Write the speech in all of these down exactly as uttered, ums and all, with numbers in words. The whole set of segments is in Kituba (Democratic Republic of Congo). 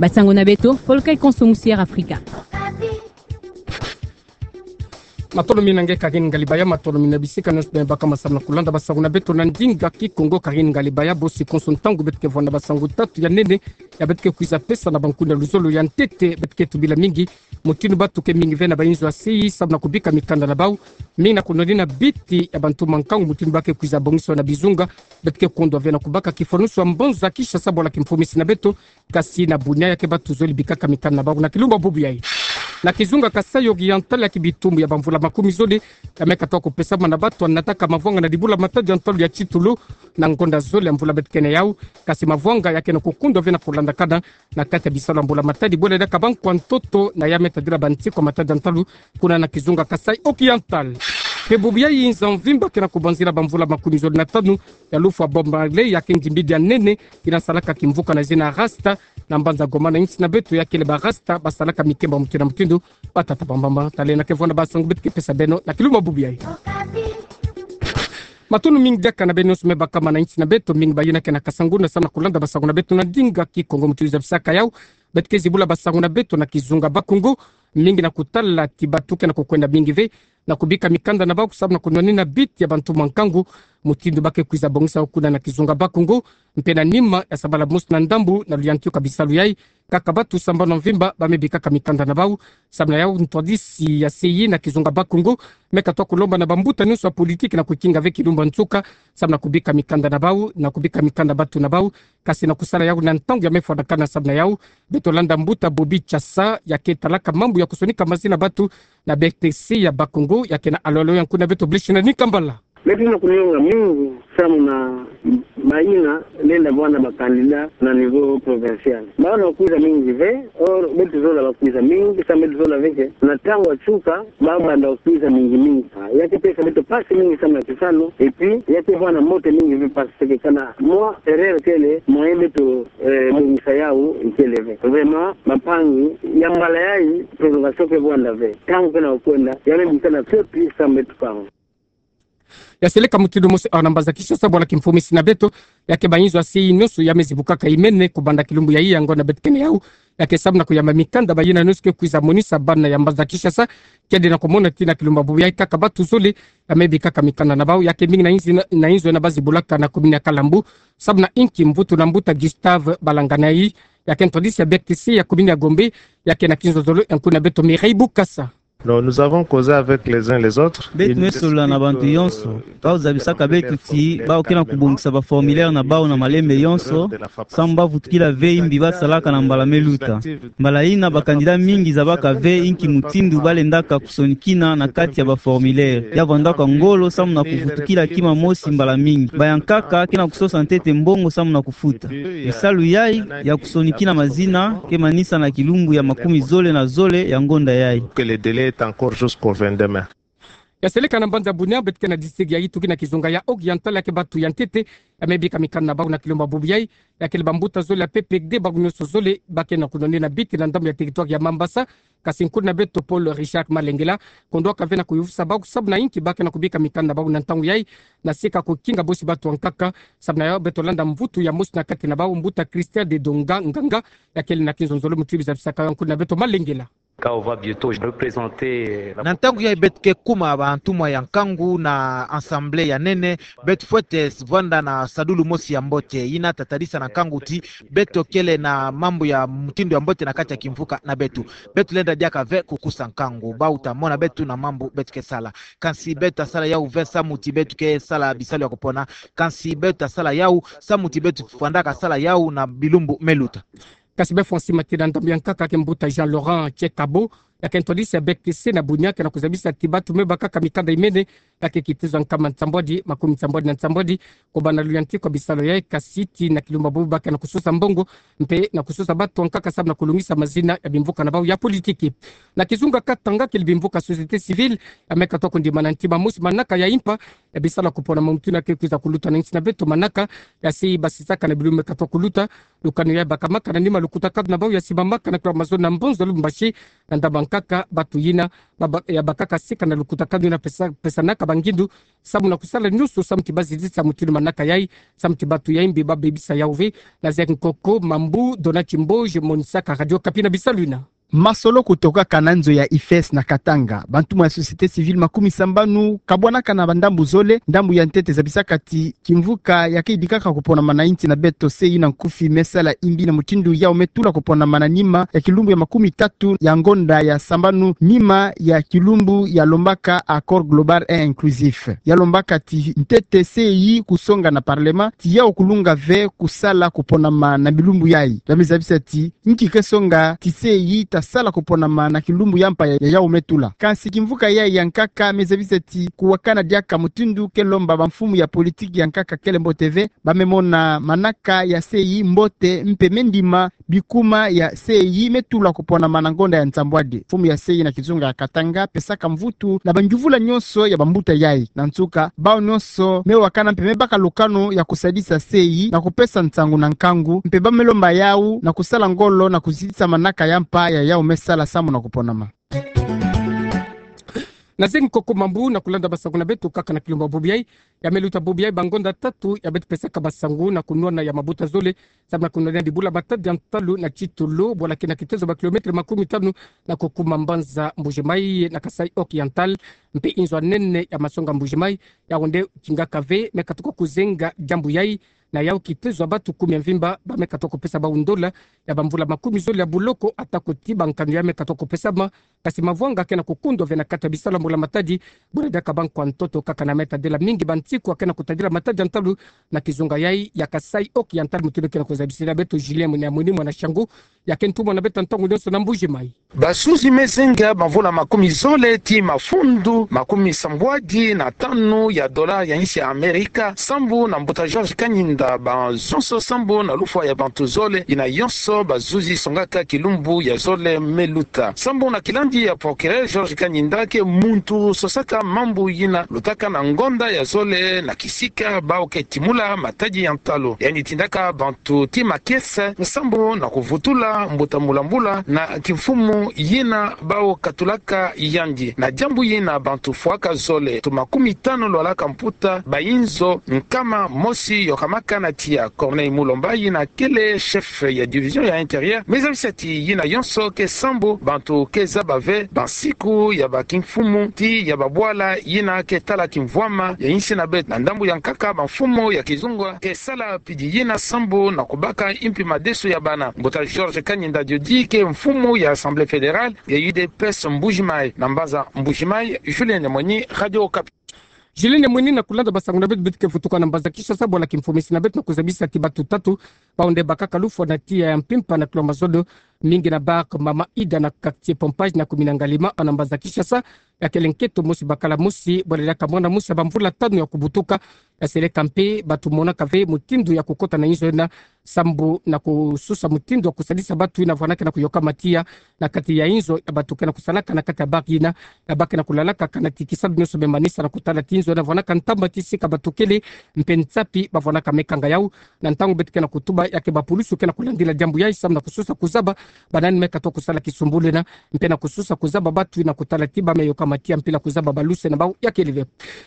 Basango na beto, Folka e konso musier Afrika. Matono mingi na nge Karine Ngalibaya, matono mingi na bisika nyonso me baka ma samu na kulanda basango na beto na ndinga Kikongo. Karine Ngalibaya, bosi konso ntangu beto ke vwanda basango tatu ya nene ya beto ke kwiza pesa na bankunga luzolo. Ya ntete, beto ke tubila mingi mutindu batu ke mingi ve na bayinzo ya sei samu na kubika mikanda na bau, mingi na kunwanina biti ya bantu mankangu, mutindu ba ke kwiza bongisa na bizunga. Beto ke kondwa ve na kubaka kifwanusu ya mbanza Kinshasa bwala kimfumisi na beto, kasi na Bunia ya ke batu zole bikaka mikanda na bau na kilumbu bubu yai. Na kizunga Kasaï Oriental, ya ke bitumbu ya bamvula makumi zole ya me katuka kupesama na batu anataka mavwanga na dibula matadi ya ntalu ya titulu na ngonda zole ya mvula beto ke na yau, kasi mavwanga ya ke na kukundwa ve na kulandakana na kati ya bisalu ya mbula matadi bwela diaka bankwa ntoto na ya me tadila bantikwa matadi ya ntalu kuna na kizunga Kasaï Oriental. Mpe bubu yai nza mvimba ke na kubanzila bamvula makumi zole na tanu ya lufwa bombe ya ke ndimbidi ya nene ke na salaka kimvuka na zina Rasta na mbanza Goma na insi na beto, ya kele ba Rasta basalaka mikemba mutindu na mutindu, batata bambamba. Tala na ke vwanda basango beto ke pesa beno na kilumbu bubu yai. Matono mingi diaka na beno nyonso me baka ma na insi na beto, mingi bayina ke na kasa nguna samu na kulanda basango na beto na ndinga Kikongo. Mutindu zabisaka yau, beto ke zibula basango na beto na kizunga Bakongo, mingi na kutala ti batu ke na kukwenda mingi ve na kubika mikanda na bau samu na kunwanina biti ya bantu mankangu, mutindu ba ke kwiza bongisa kuna na kizunga Bakongo. Mpe na nima ya sabala mosi na ndambu na luyantiku ya bisalu yai, kaka batu sambanu mvimba ba me bikaka mikanda na bau. Samu na yau, ntwadisi ya sei na kizunga Bakongo me katuka kulomba na bambuta nyonso ya politiki na kukinga ve kilumbu nsuka samu na kubika mikanda na bau, na kubika mikanda batu na bau, kasi na kusala yau na ntangu ya me fwanakana. Samu na yau, beto landa mbuta Bobi Chasa, ya ke talaka mambu ya kusonika mazina batu na B R T C ya Bakongo, ya ke na alolo ya nkuna beto Blessing Nikambala. Beto na kunionga mingi samu na bayina lenda vwanda ba candidat na niveau provincial. Bau na kwiza mingi ve, or beto zola ba kwiza mingi, samu beto zola ve ke na ntangu ya nsuka ba banda kwiza mingi mingi. Ah, ya ke pesa beto mpasi mingi samu na kisalu, et puis ya ke vwanda mbote mingi ve, parce que kana mwa erreur kele, mwa ye beto, eh, bongisa yau ikele ve. Vraiment, bampangi, ya mbala yai prolongation ke vwanda ve. Ntangu ke na kwenda, ya me bikana fioti samu beto kangu. Ya seleka mutindu mosi awa na mbanza Kinshasa bwala kimfumisi na beto, ya ke bayinzo ya sei nyonso ya me zibukaka imene kubanda kilumbu yai ya ngonda beto ke na yau, ya ke samu na kuyamba mikanda bayina nyonso ke kwiza monisa bana ya mbanza Kinshasa kede na kumona ti na kilumbu bubu yai kaka batu zole ya me bikaka mikanda na bau, ya ke mingi na inzi na, na inzo na ba zibulaka na commune ya Kalambo, samu na inki mvutu na mbuta Gustave Balanganai, ya ke ntwadisi ya B R T C ya commune ya Gombe, ya ke na kinzonzolo ya nkuna beto Mireille Bukasa. Non, nous avons causé avec les uns les autres. Beto me solola na bantu yonso. Bau zabisaka beto ti bau ke na kubongisa ba formulaire na bau na malembe yonso, samu ba vutukila ve imbi ba salaka na mbala me luta. Mbala yina ba candidat mingi zabaka ve inki mutindu ba lendaka kusonikina na kati ya ba formulaire. Ya vwandaka ngolo samu na kuvutukila kima mosi mbala mingi. Ba ya nkaka ke na kusosa ntete mbongo samu na kufuta. Bisalu yai ya kusonikina mazina ke manisa na kilumbu ya makumi zole na zole ya ngonda yai. Que le délai est encore jusqu'au vingt-deux mai. Ya seleka na mbanza Bunia, beto ke na district ya Yituki na kizunga ya Oriental, ya ke batu ya ntete ya me bika mikanda na bau na kilumbu bubu yai, ya kele bambuta zole ya P P D, bau nyonso zole ba ke na kunwanina biti na ndambu ya territoire ya Mambasa. Kasi nkuna beto Paul Richard Malengela kondwaka ve na kuyuvisa bau samu na inki ba ke na kubika mikanda na bau na ntangu yai, na sika kukinga bosi batu ya nkaka. Samu na yau beto landa mvutu ya mosi na kati na bau, mbuta Christian de Donga Nganga, ya kele na kinzonzolo mutubi zabisaka yau, nkuna beto Malengela. Quand on va bientôt représenter la... Na ntangu yai beto ke kuma bantumwa ya nkangu na assemblée ya nene, beto fwete vwanda na sadulu mosi ya mbote, yina tatadisa na nkangu ti beto kele na mambu ya mutindu ya mbote na kati ya kimvuka na beto. Beto lenda diaka ve kukusa nkangu, bau ta mona beto na mambu beto ke sala. Kansi beto ta sala yau ve samu ti beto ke sala bisalu ya kupona. Kansi beto ta sala yau samu ti beto fwandaka sala yau na bilumbu me luta. Kasi befwa nsima ti na ndambu ya nkaka ke mbuta Jean Laurent Tchekabo, ya ke ntwadisi ya B R T C na Bunia, ke na kuzabisa ti batu me bakaka mikanda imene, ya ke kitiza nkama nsambwadi, makumi nsambwadi na nsambwadi, kubanda luyantiku ya bisalu yai, kasi ti na kilumbu bubu ba ke na kusosa mbongo, mpe na kusosa batu ya nkaka samu na kulungisa mazina ya bimvuka na bau ya politiki. Na kizunga Katanga, kele bimvuka société civile ya me katuka kundima na ntima mosi manaka ya impa ya bisalu ya kupona mamutu na ke kwiza kuluta na nsi na beto, manaka ya si basisaka na bilumbu me katuka kuluta. Lukanu ya bakamaka na nima lukutakanu na bau ya simamaka na kula mazo na mbonza Lubumbashi, na ndambu ya nkaka batu yina ba, ba, ya bakaka sika na lukutakanu yina pesa, pesanaka ba ngindu, samu na kusala nyonso samu ti bazizitisa mutindu manaka yai, samu ti bato ya imbi babebisa yau ve. Nazek Nkoko Mambu, Donat Kimboge, Monisaka, Radio Okapi na bisalu ina. Masolo kutokaka na nzo ya IFES na Katanga. Bantumwa ya société civile makumi sambanu kabwanaka na bandambu zole, ndambu ya ntete zabisaka ti kimvuka ya ke idikaka kuponama na insi na beto, CEI na nkufi, me sala imbi na mutindu yau me tula kuponama na nima ya kilumbu ya makumi tatu ya ngonda ya sambanu, nima ya kilumbu ya lombaka Accord global et inclusif. Ya lombaka ti ntete CEI kusonga na parlement ti yau kulunga ve kusala kuponama na bilumbu yai. Ya me zabisa ti nki ke songa ti CEI ta sala kuponama na kilumbu ya mpa ya, ya yau me tula. Kansi kimvuka yai ya nkaka me zabisa ti kuwakana diaka mutindu ke lomba bamfumu ya politiki ya nkaka kele mbote ve, ba me mona manaka ya CEI mbote mpe me ndima bikuma ya CEI me tula kuponama na ngonda ya nsambwadi. Mfumu ya CEI na kizunga ya Katanga pesaka mvutu na bangyuvula nyonso ya bambuta yai. Na nsuka, bau nyonso me wakana mpe me baka lukanu ya kusadisa CEI na kupesa nsangu na nkangu, mpe ba me lomba yau na kusala ngolo na kuzitisa manaka ya mpa ya yau me sala samu na kuponama. Nazek Nkoko Mambu na kulanda basangu na beto kaka na kilumbu bubu yai. Ya me luta bubu yai bangonda tatu ya beto pesaka basangu na kunwana ya mabuta zole, samu na kunwana dibula matadi ya ntalu na titulu, bwala ke na kitezo ba kilomètre makumi tanu na kukuma mbanza Mbuji-Mayi na Kasaï Oriental, mpe inzo ya nene ya masonga Mbuji-Mayi, yau nde kingaka ve me katuka kuzenga diambu yai, na yau kitezo ya bato kumi ya mvimba ba me katuka kupesa bau ndola ya bamvula makumi zole ya buloko, atako ti bankanu ya me katuka kupesama. Kasi mavwanga ke na kukundwa ve na kati ya bisalu ya mbula matadi, buna diaka bankwa ntoto kaka na me tadila mingi bansiku ya ke na kutadila matadi ya ntalu na kizunga yai ya Kasaï Oriental, mutindu ke na kuzabisila beto Julien Munia Muni, mwana Shangu, ya ke ntumwa na beto ntangu nyonso na Mbuji-Mayi. Bazuzi me zenga bamvula makumi zole ti mafundu makumi sambwadi na tanu ya dola ya insi ya Amerika, sambu na mbuta Georges Kanyinda, bazonso sambu na lufwa ya bantu zole, yina yonso bazuzi songaka kilumbu ya zole me luta. Sambu na kilandi ya procureur, Georges Kanyinda ke muntu sosaka mambu yina lutaka na ngonda ya zole na kisika bau ke timula matadi ya ntalu. Yandi tindaka bantu ti makiese sambu na kuvutula mbuta mbula-mbula na kimfumu yina bau katulaka yandi. Na diambu yina bantu fwaka zole, tu makumi tanu lwalaka mputa, bayinzo nkama mosi yokamaka na tiya. Corneille Mulomba, yina kele chef ya division ya intérieur, me zabisa ti yina yonso ke sambu bantu ke zaba ve bansiku ya bakimfumu ti ya babwala yina ke tala kimvwama ya insi na beto. Na ndambu ya nkaka, bamfumu ya kizunga ke sala pidi yina sambu na kubaka impi madesu ya bana. Mbuta Georges Kanyinda Diodi ke mfumu ya Assemblée fédérale ya U D P S Mbuji-Mayi. Na mbanza Mbuji-Mayi, Julien Muni, Radio Okapi. Julien Muni na kulanda basangu na beto, beto ke vutuka na mbanza Kinshasa, bwala kimfumu ya insi na beto na kuzabisa ti bato tatu bau nde bakaka lufwa na tiya ya mpimpa na kilomètre zole, mingi na bar Mama Ida na quartier Pompage na kumina Ngalima, na mbanza Kinshasa. Ya kele nketo mosi bakala mosi, bwala diaka mwana mosi ya bamvula tanu ya kubutuka. Ya seleka mpe bato monaka ve mutindu ya kukota na inzo yina, sambu na kususa mutindu ya kusadisa bato yina vwanaka na kuyokama tiya na kati ya inzo ya bato ke na kusalaka na kati ya bar yina, ya ba ke na kulalaka, kana ti kisalu nyonso me manisa na kutala ti inzo yina vwanaka ntamba ti sika bato kele, mpe nsapi bavwanaka me kanga yau. Na ntangu beto ke na kutuba, ya ke bapulusu ke na kulandila diambu yai, samu na kususa kuzaba banani me katuka kusala kisumbulu yina, mpe na kususa kuzaba bato yina kutala ti ba me yokama tiya mpila kuzaba baluse na bau. Ya kele ve.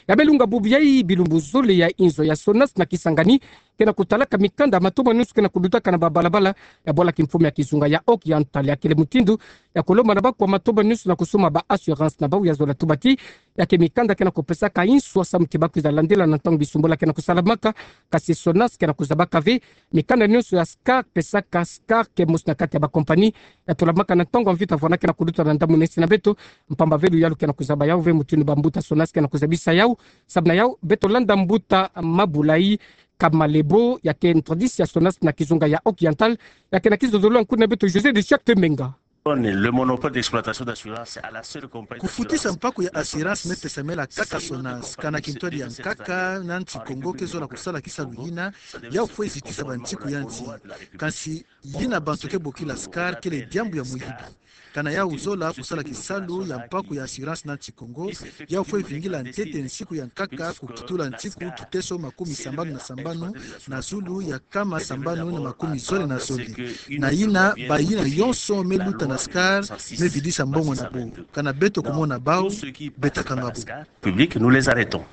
Ya me lunga bubu yai, bilumbu zole ya inzo ya SONAS na Kisangani ke na kutalaka mikanda, matomba nyonso ke na kudutaka na babalabala ya bwala kimfumu ya kizunga ya Oriental. Ya kele mutindu ya kulomba na bakwa matomba nyonso na kusumba ba assurance na bau. Ya zola tuba ti ya ke mikanda ke na kupesaka inswa samu ti bakwiza landila na ntangu bisumbula ke na kusalamaka. Kasi SONAS ke na kuzabaka ve mikanda nyonso ya SCAR pesaka, SCAR ke mosi na kati ya bakompani ya tulamaka na ntangu ya mvita vwanaka na kuluta na ndambu na insi na beto. Mpamba ve luyalu ke na kuzaba yau ve mutindu bambuta SONAS ke na kuzabisa yau. Samu na yau, beto landa mbuta Mabulai Kamalebo, ya ke ntwadisi ya SONAS na kizunga ya Oriental, ya ke na kizololo na nkuna beto José de Charte Menga. Le monopole d'exploitation d'assurance à la seule compagnie d'assurance. Kufutisa mpaku ya assurance me pesamela kaka SONAS. Kana kintwadi ya nkaka na nsi Kongo ke zola kusala kisalu yina, yau fwe zitisa bansiku ya nsi. Kansi yina bantu ke bokila SCAR kele diambu ya muyibi. Kana yau zola kusala kisalu ya mpaku ya assurance na nsi Kongo, yau fwe vingila ntete nsiku ya nkaka kukitula nsiku kiteso makumi sambanu na sambanu na zulu ya nkama sambanu na makumi zole na zole. Na yina, bayina yonso me luta na Askar me vidisa mbongo na bo. Kana beto kumona bau, beta kanga bo. Public, nous les arrêtons.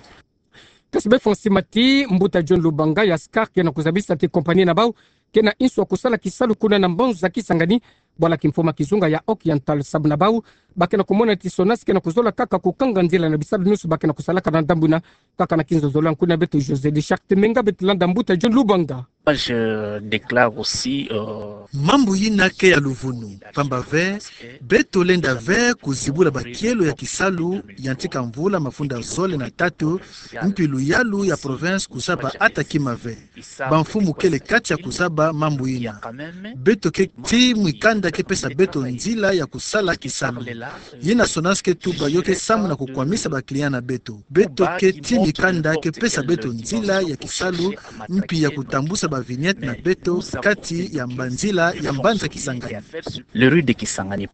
Kasi bê fong simati, mbuta John Lubanga, ya askar kena kuzabisa ti kompani na bau kena nswa kusala kisalu kuna na mbanza Kisangani, bwala kimfumu kizunga ya Oriental, sababu na bau bakena kumona ti SONAS kena kuzola kaka kukanga nzila na bisalu nyonso bakena kusalaka na ndambu ina. Kaka na kinzozolo ya nkuna beto José de Charte Menga, beto landa mbuta John Lubanga. Moi, je déclare aussi, euh, mambu ina ke ya luvunu, pamba ve beto lenda ve kuzibula bakielo ya kisalu ya ntika mvula mafunda zole na tatu, mpi luyalu ya province kuzaba ata kima ve. Bamfumu kele kati ya kuzaba mambu ina. Beto ke ti mikanda ke pesa beto nzila ya kusala kisalu. Yina SONAS ke tuba yo ke samu na kukwamisa ba client na beto. Beto ke ti mikanda ke pesa beto nzila ya kisalu, mpi ya kutambusa ba vignette na beto kati ya mbanzila ya mbanza Kisangani. Les rues de Kisangani.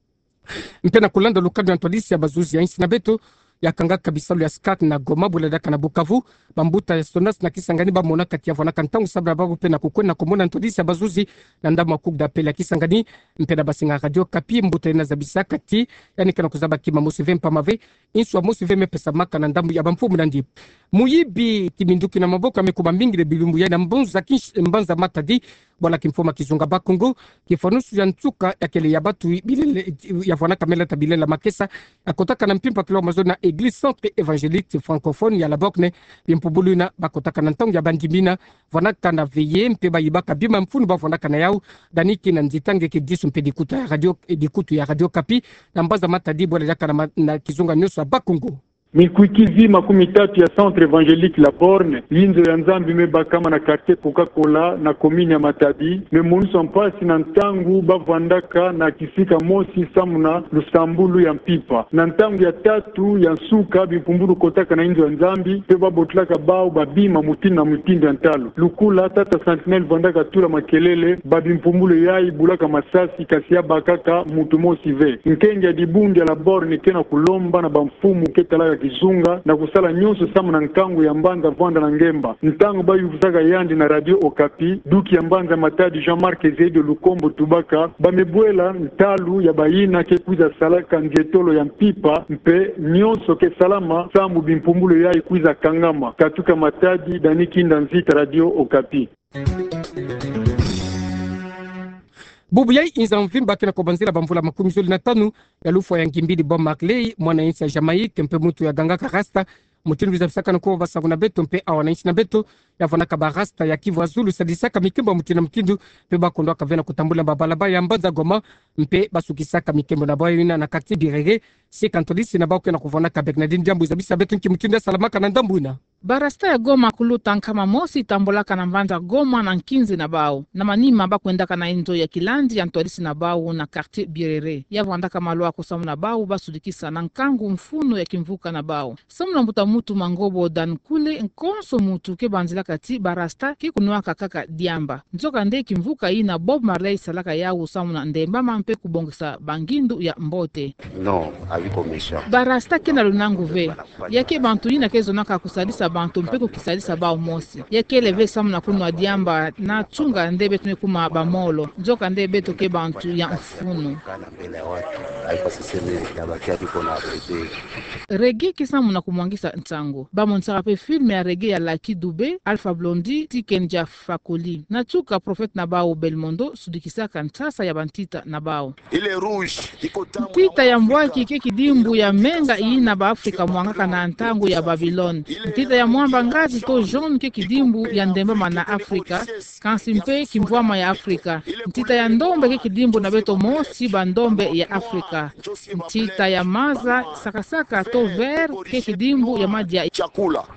Mpe na kulanda lukadi ya ntwadisi ya bazuzi ya insi na beto ya kangaka bisalu ya askar na Goma, bula diaka na Bukavu, bambuta ya SONAS na Kisangani bamonaka ti ya vwanaka ntangu sababu na babo mpe na kukwenda kumona ntwadisi ya bazuzi na ndambu ya Cour d'appel ya Kisangani. Mpe na basinga Radio Okapi, mbuta ina zabisaka ti yandi kena kuzaba kima mosi ve, mpamba ve nswa mosi ve me pesamaka na ndambu ya bamfumu na yandi. Muyibi, kiminduki na maboko ya me kuma mingi le bilumbu ya na mbanza Kinsh-, mbanza Matadi, bwala kimfumu kizunga Bas-Congo, kifunusu ya nsuka ya kele ya batu bilele, ya vwanaka me lata bilele ya makesa, ya kotaka na mpimpa kilomètre mazono na Église Centre Évangélique Francophone ya La Borne, bimpumbulu ina bakotaka na ntangu ya bandimina, vwanaka na veillée mpe bayibaka bima mfunu bavwanaka na yau, dani kina nzita nge ke disu mpe dikuta ya radio, eh, dikutu ya Radio Okapi, na mbanza Matadi, bwala diaka na ma-, na kizunga nyonso ya Bas-Congo. Mikwikwizi makumi tatu ya Centre Évangélique La Borne, yinzo ya Nzambi me bakama na quartier Coca-Cola na commune ya Matadi, me moniswa mpasi na ntangu bavwandaka na kisika mosi samu na lusambulu ya mpimpa. Na ntangu ya tatu ya nsuka, bimpumbulu kotaka na yinzo ya Nzambi, mpe babotolaka bau babima mutindu na mutindu ya ntalu. Lukula tata Sentinelle vandaka tula makelele, ba bimpumbulu yayi bulaka masasi, kasi ya bakaka mutu mosi ve. Nkengi ya dibundu ya La Borne kena kulomba na bamfumu ke talaka kizunga na kusala nyonso samu na nkangu ya mbanza vwanda na ngemba. Ntangu bayuvuzaka yandi na Radio Okapi, duki ya mbanza Matadi Jean-Marc Ezedo Lukombo tubaka, ba me bwela ntalu ya bayina ke kwiza salaka nzietolo ya mpimpa, mpe nyonso ke salama samu bimpumbulu yayi kwiza kangama. Katuka Matadi, Dani Kinda Nzita, Radio Okapi. Bubu yayi inza mvimba kena kubanzila bamvula makumi zole na tanu ya lufwa ya ngimbidi Bob Marley, mwana insi ya Jamaïque, mpe muntu ya gangaka Rasta, mutindu bizabisaka na kuwa basangu na beto, mpe awa na insi na beto, ya vwanaka ba Rasta ya Kivu Azulu, sadisaka mikembo mutindu na mutindu, mpe bakondwaka ve na kutambula mabalabala ya mbanza Goma, mpe basukisaka mikembo na bau yina na quartier Birere, sika ntwadisi na bau kena kuvwanaka. Bernardine Diambu zabisa beto nki mutindu ya salamaka na ndambu yina. Ba Rasta ya Goma kuluta nkama mosi tambulaka na mbanza Goma na nkinzi na bau. Na manima bakwendaka na inzo ya kilandi ya ntwadisi na bau na quartier Birere. Ya vwandaka maluaku samu na bau basudikisa na nkangu mfunu ya kimvuka na bau. Samu na mbuta muntu Mangobo Dan Kule, konso muntu ke banzilaka ti ba Rasta ke kunwaka kaka diamba. Nzokande kimvuka yina Bob Marley salaka yau samu na ndembama mpe kubongisa bangindu ya mbote. Non, avis commission. Ba Rasta kena lunangu ve. Ya ke bantu yina ke zonaka kusadisa bantu mpe kukisadisa bau mosi. Ya kele ve samu na kunwa diamba na tunga nde beto me kuma bamolo. Nzokande beto ke bantu ya mfunu. Reggae ke samu na kumwangisa nsangu. Bamonisaka mpe film ya reggae ya Lucky Dube, Alpha Blondy, Tiken Jah Fakoly. Na tuka prophète na bau Belmondo sudikisaka nsasa ya bantita na bau. Ntita ya mbwaki ke kidimbu ya menga yina ba Afrika mwangaka na ntangu ya Babylone. Ntita ya mwamba ngazi to jaune ke kidimbu ya ndembama na Afrika, kansi mpe kimvwama ya Afrika. Ntita ya ndombe ke kidimbu na beto mosi bandombe ya Afrika. Ntita ya maza sakasaka to vert ke kidimbu ya madia.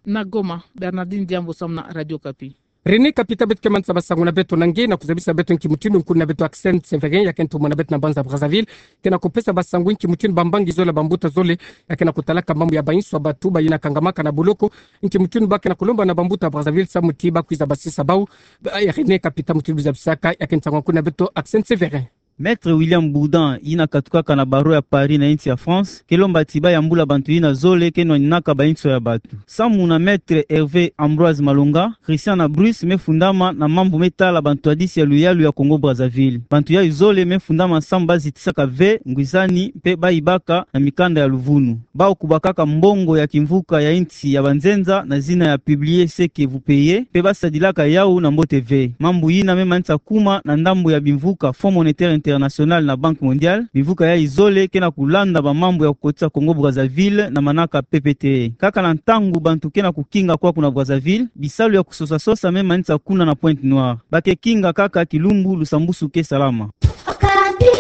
Na Goma, Bernardine Diambu samu na Radio Okapi. René Kapita, beto ke manisa basangu na beto na nge na kuzabisa beto nki mutindu nkuna beto Axel Sévérin, ya ke ntumwa na beto na mbanza Brazzaville, kena kupesa basangu nki mutindu bambangi zole, bambuta zole, ya kena kutalaka mambu ya bainswa batu bayina kangamaka na boloko, nki mutindu bakena kulomba na bambuta Brazzaville samu ti bakwiza basisa bau. Ba, eh, René Kapita, mutindu bizabisaka, ya ke nsangu nkuna beto Axel Sévérin. Maître William Bourdin, yina katukaka na barreau ya Paris na insi ya France, ke lomba ti bayambula bantu yina zole ke nwaninaka ba inso ya batu. Samu na Maître Hervé Ambroise Malonga, Christian na Bruce me fundama na mambu me tala bantu hadisi ya luyalu ya Congo-Brazzaville. Bantu yayi zole me fundama samu bazitisaka ve, ngwizani, mpe bayibaka na mikanda ya luvunu. Bawu kubakaka mbongo ya kimvuka ya insi ya banzenza na zina ya Publiez ce que vous payez, mpe basadilaka yawu na mbote ve. Mambu yina me manisa kuma na ndambu ya bimvuka Fonds Monétaire International na Banque Mondiale, bimvuka yayi zole ke na kulanda ba mambu ya kukotisa Congo-Brazzaville na manaka pepete. Kaka na ntangu bantu ke na kukinga kwaku na Brazzaville, bisalu ya kusosa-sosa me manisa kuna na Pointe-Noire. Ba ke kinga kaka kilumbu lusambusu ke salama. Okapi.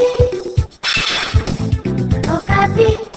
Okapi.